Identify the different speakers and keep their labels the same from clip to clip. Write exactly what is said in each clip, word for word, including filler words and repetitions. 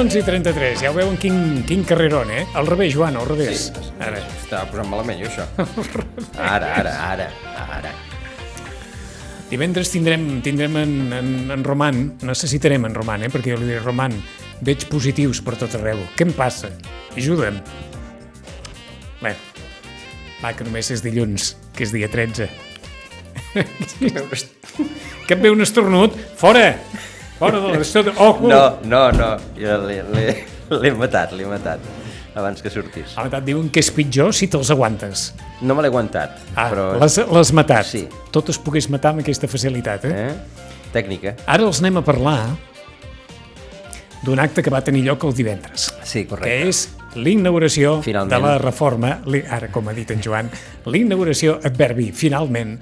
Speaker 1: onze i trenta-tres, ja ho veuen quin, quin carrerón, eh? Al revés, Joan, al revés.
Speaker 2: Sí,
Speaker 1: ara.
Speaker 2: Estava posant malament, jo, això. Ara, ara, ara, ara.
Speaker 1: Divendres tindrem, tindrem en, en, en Roman, necessitarem en Roman, eh? Perquè jo li diré, Roman, veig positius per tot arreu. Què em passa? Ajuda'm. Bé, va, que només és dilluns, que és dia tretze. Que et ve un estornut? Fora! Fora de l'estudi... Oh,
Speaker 2: no, no, no, jo l'he matat, l'he matat, abans que sortís.
Speaker 1: Ha matat, diuen que és pitjor si te'ls aguantes.
Speaker 2: No me l'he aguantat,
Speaker 1: ah,
Speaker 2: però...
Speaker 1: l'has matat.
Speaker 2: Sí.
Speaker 1: Tot es pogués matar amb aquesta facilitat, eh?
Speaker 2: eh? Tècnica.
Speaker 1: Ara els anem a parlar d'un acte que va tenir lloc el divendres.
Speaker 2: Sí, correcte.
Speaker 1: Que és l'inauguració
Speaker 2: finalment.
Speaker 1: De la reforma, ara com ha dit en Joan, l'inauguració, adverbi, finalment,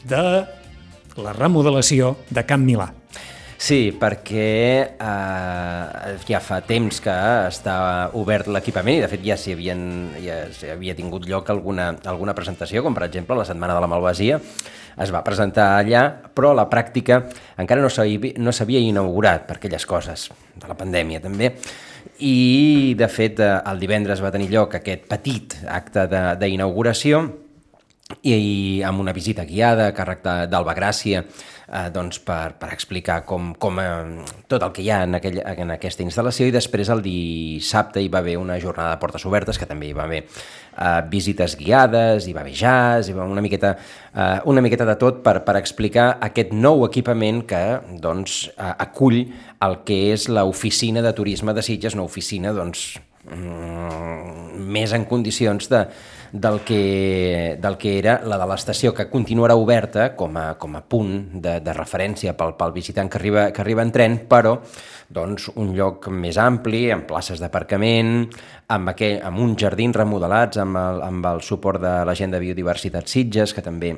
Speaker 1: de la remodelació de Can Milà.
Speaker 2: Sí, perquè eh, ja fa temps que està obert l'equipament i de fet ja s'hi havien, ja s'hi havia tingut lloc alguna, alguna presentació, com per exemple la Setmana de la Malvasia, es va presentar allà, però a la pràctica encara no s'havia, no s'havia inaugurat per aquelles coses de la pandèmia també, i de fet el divendres va tenir lloc aquest petit acte d'inauguració i, i amb una visita guiada a càrrec d'Alba Gràcia, eh, doncs per, per explicar com, com eh, tot el que hi ha en, aquell, en aquesta instal·lació, i després el dissabte hi va haver una jornada de portes obertes, que també hi va haver eh, visites guiades, hi va haver jazz, hi va una miqueta, eh, una miqueta de tot per, per explicar aquest nou equipament que doncs, eh, acull el que és l'oficina de turisme de Sitges, una oficina doncs, mm, més en condicions de del que, del que era la de l'estació, que continuarà oberta com a, com a punt de, de referència pel, pel visitant que arriba, que arriba en tren, però doncs, un lloc més ampli, amb places d'aparcament, amb, aquell, amb uns jardins remodelats, amb el, amb el suport de la gent de Biodiversitat Sitges, que també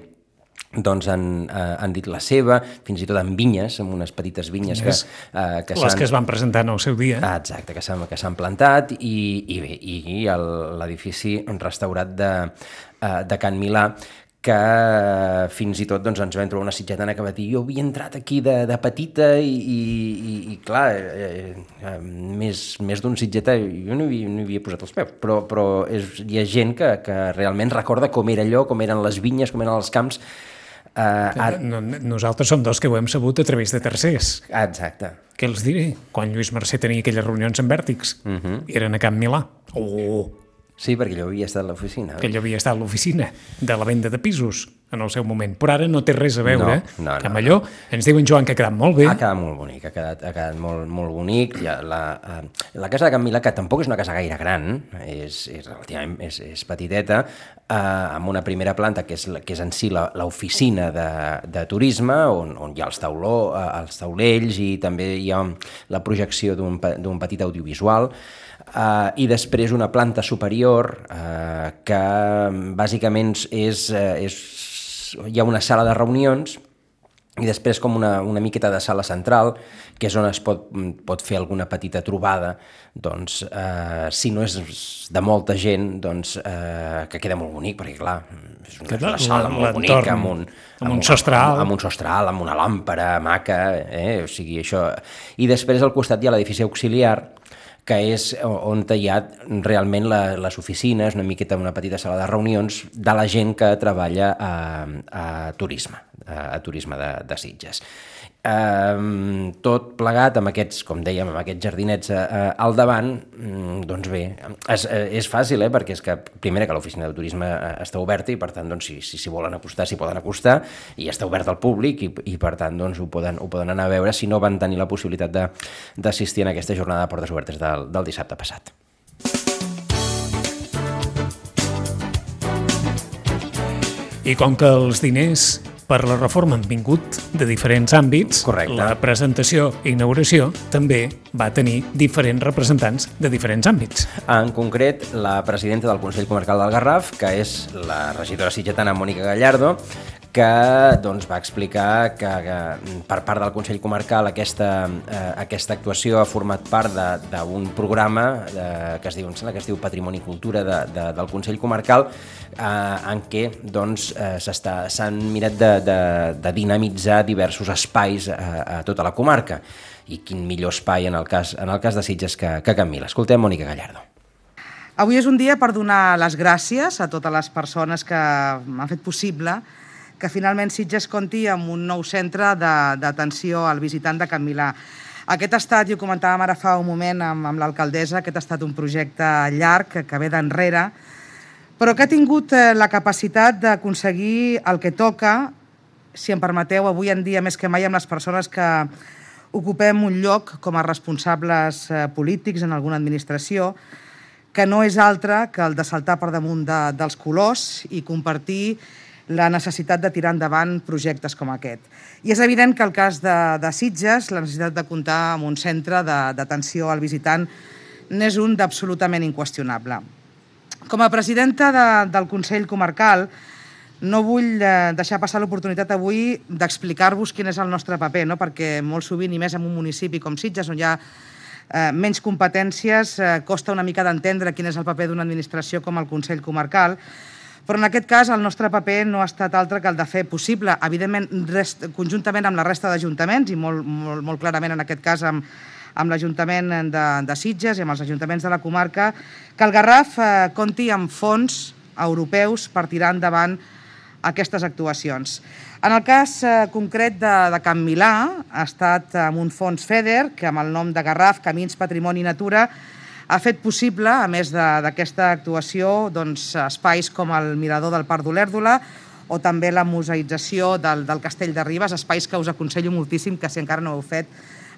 Speaker 2: doncs han, eh, han dit la seva, fins i tot amb vinyes, amb unes petites vinyes que,
Speaker 1: eh, que les que es van presentar en el seu dia.
Speaker 2: Ah, exacte, que s'han que s'han plantat, i, i bé, i l'edifici restaurat de, eh, de Can Milà, que fins i tot doncs, ens vam trobar una sitgetana que va dir jo havia entrat aquí de, de petita i, i, i, i clar, eh, eh, més, més d'un sitgetà, jo no hi, havia, no hi havia posat els peus, però, però és, hi ha gent que, que realment recorda com era allò, com eren les vinyes, com eren els camps.
Speaker 1: Uh, ara... no, nosaltres som dos que ho hem sabut a través de tercers.
Speaker 2: Exacte.
Speaker 1: Què els diré? Quan Lluís Mercè tenia aquelles reunions amb Vèrtix, uh-huh. eren a Can Milà. Oh!
Speaker 2: Sí, perquè allò havia estat a l'oficina.
Speaker 1: Que allò havia estat a l'oficina de la venda de pisos en el seu moment. Però ara no té res a veure
Speaker 2: no, no,
Speaker 1: que amb allò. Ens diuen, Joan, que ha quedat molt bé.
Speaker 2: Ha quedat molt bonic, ha quedat, ha quedat molt, molt bonic. Ja, la, uh, la casa de Can Milà, que tampoc és una casa gaire gran, és, és relativament és, és petiteta, uh, amb una primera planta que és, que és en si l'oficina de, de turisme, on, on hi ha els, tauló, uh, els taulells, i també hi ha la projecció d'un d'un petit audiovisual. Uh, i després una planta superior uh, que bàsicament és, uh, és, hi ha una sala de reunions i després com una, una miqueta de sala central, que és on es pot, pot fer alguna petita trobada, doncs, uh, si no és de molta gent, doncs, uh, que queda molt bonic, perquè clar, és una, una sala molt bonica, amb un,
Speaker 1: amb un sostre alt,
Speaker 2: amb, amb un sostre alt, amb una làmpara maca, eh? O sigui, això. I després al costat hi ha l'edifici auxiliar, que és on hi ha realment la, les oficines, una miqueta una petita sala de reunions de la gent que treballa a, a turisme, a, a turisme de, de Sitges. Um, tot plegat amb aquests, com dèiem, amb aquests jardinets uh, al davant, um, doncs bé, és, és fàcil, eh? Perquè és que, primera, que l'oficina de turisme està oberta i, per tant, doncs, si, si, si volen acostar, s'hi poden acostar, i està obert al públic i, i per tant, doncs, ho poden, ho poden anar a veure si no van tenir la possibilitat d'assistir en aquesta jornada de portes obertes del, del dissabte passat.
Speaker 1: I com que els diners per la reforma han vingut de diferents àmbits,
Speaker 2: correcte,
Speaker 1: la presentació i inauguració també va tenir diferents representants de diferents àmbits.
Speaker 2: En concret, la presidenta del Consell Comarcal del Garraf, que és la regidora sitgetana Mònica Gallardo, que doncs, va explicar que, que per part del Consell Comarcal aquesta, eh, aquesta actuació ha format part d'un programa eh, que es diu, em sembla que es diu Patrimoni i Cultura de, de, del Consell Comarcal, eh, en què doncs, eh, s'han mirat de, de, de dinamitzar diversos espais a, a tota la comarca. I quin millor espai en el cas, en el cas de Sitges que, que Can Vila. Escoltem Mònica Gallardo.
Speaker 3: Avui és un dia per donar les gràcies a totes les persones que han fet possible que finalment Sitges compti amb un nou centre d'atenció al visitant de Can Milà. Aquest ha estat, i ho comentàvem ara fa un moment amb, amb l'alcaldessa, aquest ha estat un projecte llarg que, que ve d'enrere, però que ha tingut la capacitat d'aconseguir el que toca, si em permeteu, avui en dia més que mai amb les persones que ocupem un lloc com a responsables polítics en alguna administració, que no és altre que el de saltar per damunt de, dels colors i compartir la necessitat de tirar endavant projectes com aquest. I és evident que el cas de, de Sitges, la necessitat de comptar amb un centre d'atenció al visitant n'és un d'absolutament inqüestionable. Com a presidenta de, del Consell Comarcal, no vull eh, deixar passar l'oportunitat avui d'explicar-vos quin és el nostre paper, no? Perquè molt sovint, i més en un municipi com Sitges, on hi ha eh, menys competències, eh, costa una mica d'entendre quin és el paper d'una administració com el Consell Comarcal, però en aquest cas el nostre paper no ha estat altre que el de fer possible, evidentment rest, conjuntament amb la resta d'ajuntaments i molt, molt, molt clarament en aquest cas amb, amb l'Ajuntament de, de Sitges i amb els ajuntaments de la comarca, que el Garraf eh, compti amb fons europeus per tirar endavant aquestes actuacions. En el cas eh, concret de, de Can Milà, ha estat amb un fons FEDER, que amb el nom de Garraf, Camins, Patrimoni i Natura, ha fet possible, a més d'aquesta actuació, doncs, espais com el Mirador del Parc d'Olèrdola o també la museïtzació del, del Castell de Ribes, espais que us aconsello moltíssim que si encara no ho heu fet,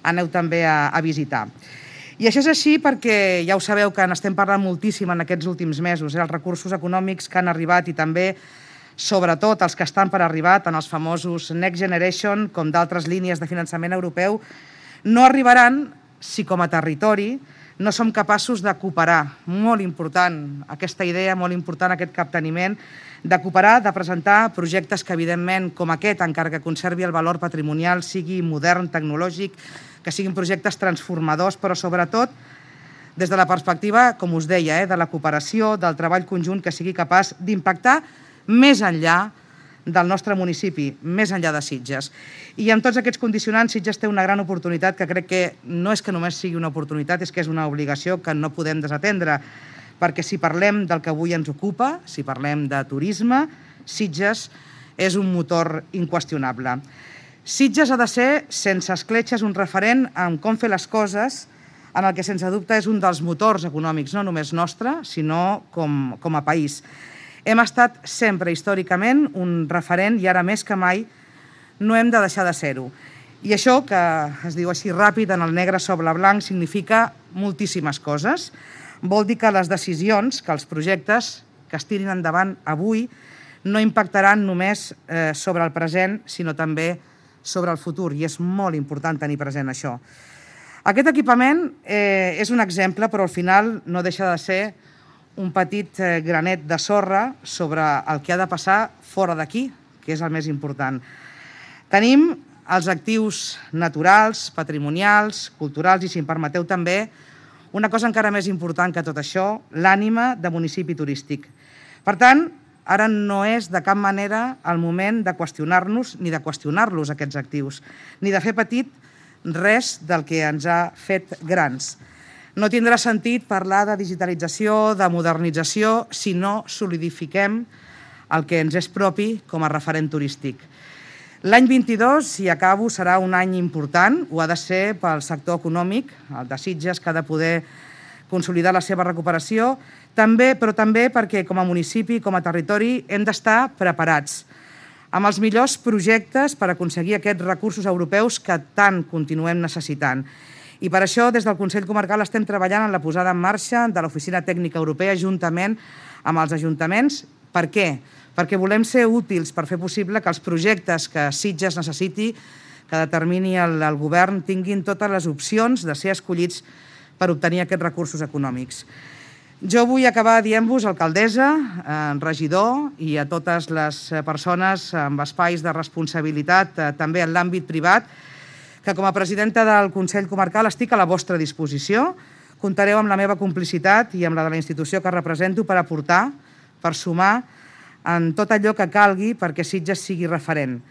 Speaker 3: aneu també a, a visitar. I això és així perquè ja ho sabeu que n'estem parlant moltíssim en aquests últims mesos, eh? Els recursos econòmics que han arribat i també, sobretot, els que estan per arribar, tant els famosos Next Generation com d'altres línies de finançament europeu, no arribaran si com a territori no som capaços de cooperar. Molt important aquesta idea, molt important aquest capteniment, de cooperar, de presentar projectes que, evidentment, com aquest, encara que conservi el valor patrimonial, sigui modern, tecnològic, que siguin projectes transformadors, però sobretot des de la perspectiva, com us deia, eh, de la cooperació, del treball conjunt que sigui capaç d'impactar més enllà del nostre municipi, més enllà de Sitges. I amb tots aquests condicionants, Sitges té una gran oportunitat que crec que no és que només sigui una oportunitat, és que és una obligació que no podem desatendre, perquè si parlem del que avui ens ocupa, si parlem de turisme, Sitges és un motor inqüestionable. Sitges ha de ser, sense escletxes, un referent en com fer les coses, en el que sense dubte és un dels motors econòmics, no només nostre, sinó com, com a país. Hem estat sempre, històricament, un referent i ara més que mai no hem de deixar de ser-ho. I això, que es diu així ràpid, en el negre sobre blanc, significa moltíssimes coses. Vol dir que les decisions, que els projectes que es tirin endavant avui no impactaran només eh, sobre el present, sinó també sobre el futur, i és molt important tenir present això. Aquest equipament eh, és un exemple, però al final no deixa de ser un petit granet de sorra sobre el que ha de passar fora d'aquí, que és el més important. Tenim els actius naturals, patrimonials, culturals i, si em permeteu també, una cosa encara més important que tot això, l'ànima de municipi turístic. Per tant, ara no és de cap manera el moment de qüestionar-nos ni de qüestionar-los aquests actius, ni de fer petit res del que ens ha fet grans. No tindrà sentit parlar de digitalització, de modernització, si no solidifiquem el que ens és propi com a referent turístic. L'any vint-i-dos, i acabo, serà un any important, ho ha de ser pel sector econòmic, el de Sitges, que ha de poder consolidar la seva recuperació, també, però també perquè com a municipi, com a territori, hem d'estar preparats amb els millors projectes per aconseguir aquests recursos europeus que tant continuem necessitant. I per això, des del Consell Comarcal, estem treballant en la posada en marxa de l'Oficina Tècnica Europea juntament amb els ajuntaments. Per què? Perquè volem ser útils per fer possible que els projectes que Sitges necessiti, que determini el, el govern, tinguin totes les opcions de ser escollits per obtenir aquests recursos econòmics. Jo vull acabar dient-vos, alcaldessa, regidor i a totes les persones amb espais de responsabilitat, també en l'àmbit privat, que com a presidenta del Consell Comarcal estic a la vostra disposició. Comptareu amb la meva complicitat i amb la de la institució que represento per aportar, per sumar en tot allò que calgui perquè Sitges sigui referent.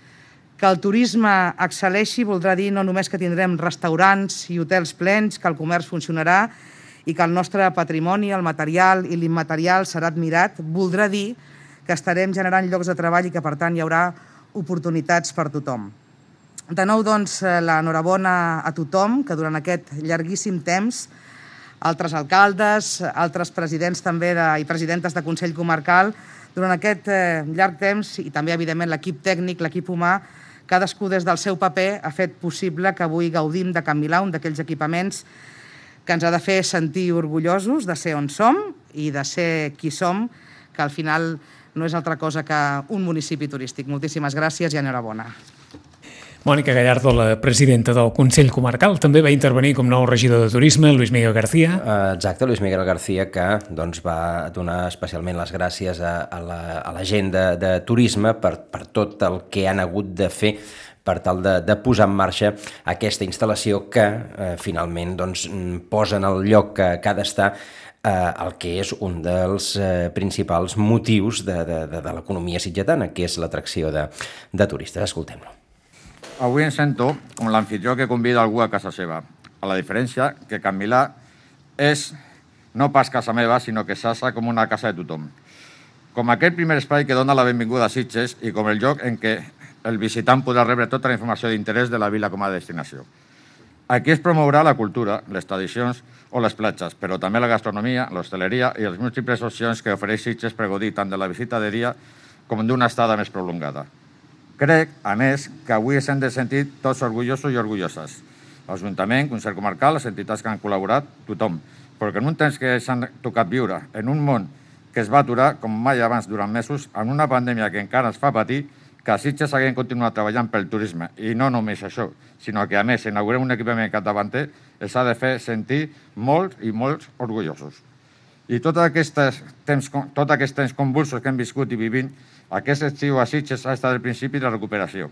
Speaker 3: Que el turisme excel·leixi voldrà dir no només que tindrem restaurants i hotels plens, que el comerç funcionarà i que el nostre patrimoni, el material i l'immaterial serà admirat, voldrà dir que estarem generant llocs de treball i que, per tant, hi haurà oportunitats per tothom. De nou, doncs, l'enhorabona a tothom que durant aquest llarguíssim temps altres alcaldes, altres presidents també de, i presidentes de Consell Comarcal, durant aquest eh, llarg temps i també, evidentment, l'equip tècnic, l'equip humà, cadascú des del seu paper ha fet possible que avui gaudim de Can Milà, un d'aquells equipaments que ens ha de fer sentir orgullosos de ser on som i de ser qui som, que al final no és altra cosa que un municipi turístic. Moltíssimes gràcies i enhorabona.
Speaker 1: Mònica Gallardo, la presidenta del Consell Comarcal, també va intervenir com nou regidor de Turisme, Luis Miguel García.
Speaker 2: Exacte, Luis Miguel García, que doncs, va donar especialment les gràcies a, a, la, a la gent de, de Turisme per, per tot el que han hagut de fer per tal de, de posar en marxa aquesta instal·lació que eh, finalment doncs, posa en el lloc que, que ha d'estar eh, el que és un dels eh, principals motius de, de, de, de l'economia sitgetana, que és l'atracció de, de turistes. Escoltem-lo.
Speaker 4: Avui em sento com l'anfitrió que convida algú a casa seva, a la diferència que Can Milà és no pas casa meva, sinó que s'assa com una casa de tothom. Com aquell primer espai que dona la benvinguda a Sitges i com el lloc en què el visitant podrà rebre tota la informació d'interès de la vila com a destinació. Aquí es promourà la cultura, les tradicions o les platges, però també la gastronomia, l'hostaleria i les múltiples opcions que ofereix Sitges per gaudir tant de la visita de dia com d'una estada més prolongada. Crec, a més, que avui ens hem de sentir tots orgullosos i orgulloses. L'Ajuntament, Consell Comarcal, les entitats que han col·laborat, tothom. Perquè en un temps que s'han tocat viure, en un món que es va aturar, com mai abans durant mesos, en una pandèmia que encara ens fa patir, que a Sitges haguem continuat treballant pel turisme. I no només això, sinó que, a més, inaugurem un equipament capdavanter, els ha de fer sentir molts i molts orgullosos. I tot aquest temps, tot aquest temps convulsos que hem viscut i vivint, aquest estiu a Sitges ha estat el principi de la recuperació.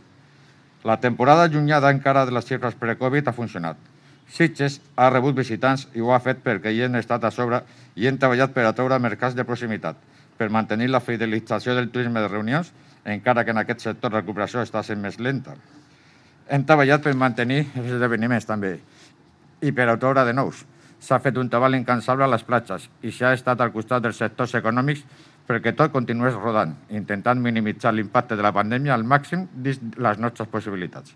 Speaker 4: La temporada allunyada encara de les xifres pre-Covid ha funcionat. Sitges ha rebut visitants i ho ha fet perquè hi hem estat a sobre i hem treballat per atraure mercats de proximitat, per mantenir la fidelització del turisme de reunions, encara que en aquest sector la recuperació està sent més lenta. Hem treballat per mantenir els esdeveniments també i per atraure de nous. S'ha fet un treball incansable a les platges i s'ha estat al costat dels sectors econòmics perquè tot continués rodant, intentant minimitzar l'impacte de la pandèmia al màxim dins les nostres possibilitats.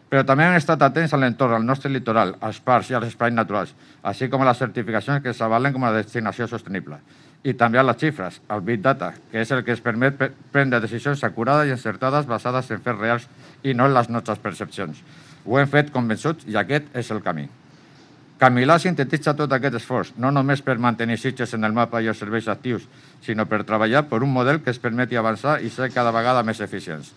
Speaker 4: Però també hem estat atents a l'entorn, al nostre litoral, als parcs i als espais naturals, així com a les certificacions que s'avalen com a destinació sostenible. I també a les xifres, al Big Data, que és el que ens permet prendre decisions acurades i encertades basades en fets reals i no en les nostres percepcions. Ho hem fet convençuts i aquest és el camí. Can Milà sintetitza tot aquest esforç, no només per mantenir Sitges en el mapa i els serveis actius, sinó per treballar per un model que es permeti avançar i ser cada vegada més eficients.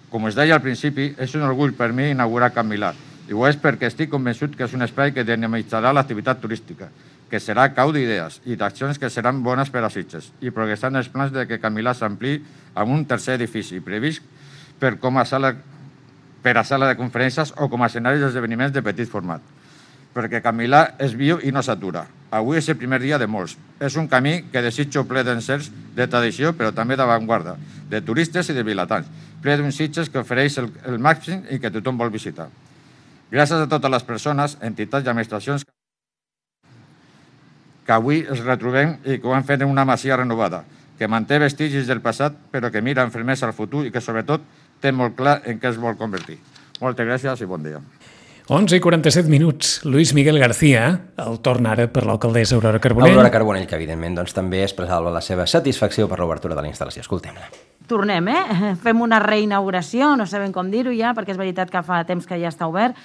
Speaker 4: Com us deia al principi, és un orgull per mi inaugurar Can Milà, i ho és perquè estic convençut que és un espai que dinamitzarà l'activitat turística, que serà cau d'idees i d'accions que seran bones per a Sitges, i progressant els plans de que Can Milà s'ampliï amb un tercer edifici previst per, com a sala, per a sala de conferències o com a escenari d'esdeveniments de petit format. Perquè Can Milà és viu i no s'atura. Avui és el primer dia de molts. És un camí que desitjo ple d'encerts, de tradició, però també d'avantguarda, de turistes i de vilatans, ple d'un Sitges que ofereix el, el màxim i que tothom vol visitar. Gràcies a totes les persones, entitats i administracions que avui els retrobem i que ho han fet en una masia renovada, que manté vestigis del passat, però que mira amb fermesa al futur i que, sobretot, té molt clar en què es vol convertir. Moltes gràcies i bon dia.
Speaker 1: onze i quaranta-set minuts. Luis Miguel García, el torn ara per l'alcaldessa Aurora Carbonell.
Speaker 2: Aurora Carbonell, que evidentment doncs, també expressava la seva satisfacció per l'obertura de la instal·lació. Escoltem-la.
Speaker 5: Tornem, eh? Fem una reinauguració, no sabem com dir-ho ja, perquè és veritat que fa temps que ja està obert,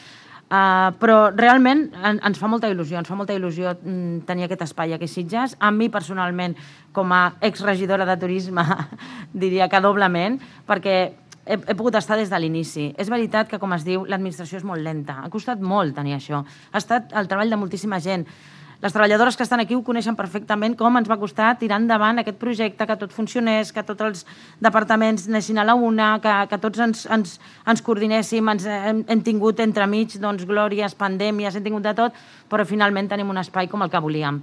Speaker 5: uh, però realment en, ens fa molta il·lusió, ens fa molta il·lusió mm, tenir aquest espai aquí a Sitges. A mi, personalment, com a exregidora de turisme, diria que doblement, perquè He, he pogut estar des de l'inici. És veritat que, com es diu, l'administració és molt lenta. Ha costat molt tenir això. Ha estat el treball de moltíssima gent. Les treballadores que estan aquí ho coneixen perfectament, com ens va costar tirar endavant aquest projecte, que tot funcionés, que tots els departaments anessin a la una, que, que tots ens, ens, ens coordinéssim, ens hem, hem tingut entremig doncs, glòries, pandèmies, hem tingut de tot, però finalment tenim un espai com el que volíem.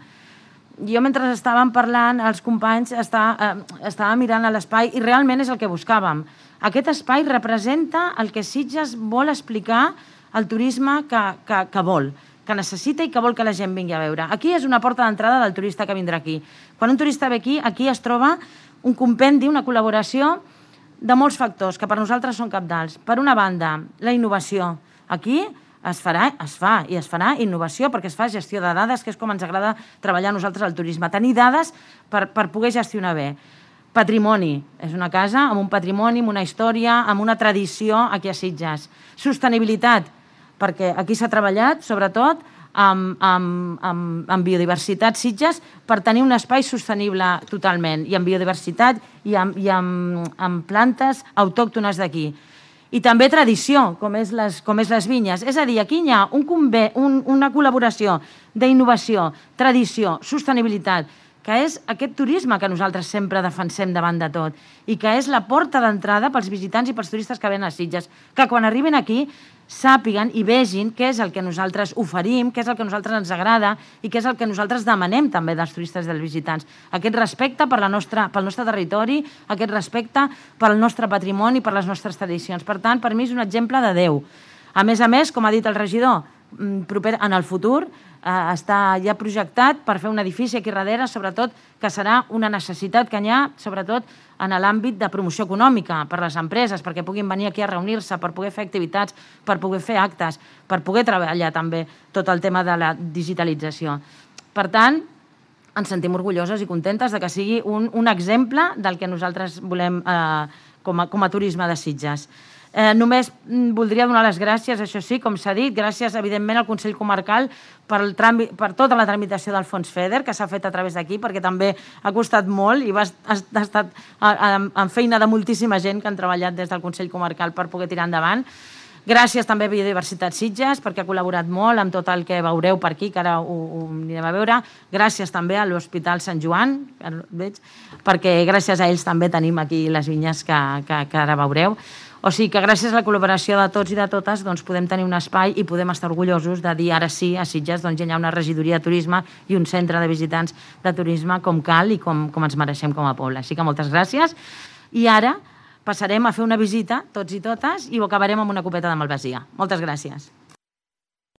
Speaker 5: Jo, mentre estàvem parlant, els companys està, eh, estava mirant a l'espai i realment és el que buscàvem. Aquest espai representa el que Sitges vol explicar al turisme que, que, que vol, que necessita i que vol que la gent vingui a veure. Aquí és una porta d'entrada del turista que vindrà aquí. Quan un turista ve aquí, aquí es troba un compendi, una col·laboració de molts factors que per nosaltres són cabdals. Per una banda, la innovació. Aquí es farà, es fa i es farà innovació perquè es fa gestió de dades, que és com ens agrada treballar a nosaltres al turisme. Tenir dades per, per poder gestionar bé. Patrimoni. És una casa amb un patrimoni, amb una història, amb una tradició aquí a Sitges. Sostenibilitat, perquè aquí s'ha treballat, sobretot, amb, amb, amb, amb biodiversitat Sitges per tenir un espai sostenible totalment, i amb biodiversitat i amb, i amb, amb plantes autòctones d'aquí. I també tradició, com és, les, com és les vinyes. És a dir, aquí hi ha un convé, un, una col·laboració d'innovació, tradició, sostenibilitat, que és aquest turisme que nosaltres sempre defensem davant de tot i que és la porta d'entrada pels visitants i pels turistes que venen a Sitges, que quan arriben aquí sàpiguen i vegin què és el que nosaltres oferim, què és el que a nosaltres ens agrada i què és el que nosaltres demanem també dels turistes i dels visitants. Aquest respecte per la nostra, pel nostre territori, aquest respecte pel nostre patrimoni, per les nostres tradicions. Per tant, per mi és un exemple de Déu. A més a més, com ha dit el regidor, proper, en el futur eh, està ja projectat per fer un edifici aquí darrere, sobretot que serà una necessitat que hi ha, sobretot en l'àmbit de promoció econòmica per les empreses, perquè puguin venir aquí a reunir-se, per poder fer activitats, per poder fer actes, per poder treballar també tot el tema de la digitalització. Per tant, ens sentim orgulloses i contentes de que sigui un, un exemple del que nosaltres volem eh, com, a, com a turisme de Sitges. Eh, només voldria donar les gràcies, això sí, com s'ha dit, gràcies, evidentment, al Consell Comarcal per, el tràmit, per tota la tramitació del fons FEDER, que s'ha fet a través d'aquí, perquè també ha costat molt i va, ha, ha estat en feina de moltíssima gent que han treballat des del Consell Comarcal per poder tirar endavant. Gràcies també a Biodiversitat Sitges, perquè ha col·laborat molt amb tot el que veureu per aquí, que ara ho, ho anirem a veure. Gràcies també a l'Hospital Sant Joan, veig, perquè gràcies a ells també tenim aquí les vinyes que, que, que ara veureu. O sigui que gràcies a la col·laboració de tots i de totes doncs podem tenir un espai i podem estar orgullosos de dir ara sí, a Sitges doncs hi ha una regidoria de turisme i un centre de visitants de turisme com cal i com, com ens mereixem com a poble. Així que moltes gràcies. I ara passarem a fer una visita, tots i totes, i ho acabarem amb una copeta de malvasia. Moltes gràcies.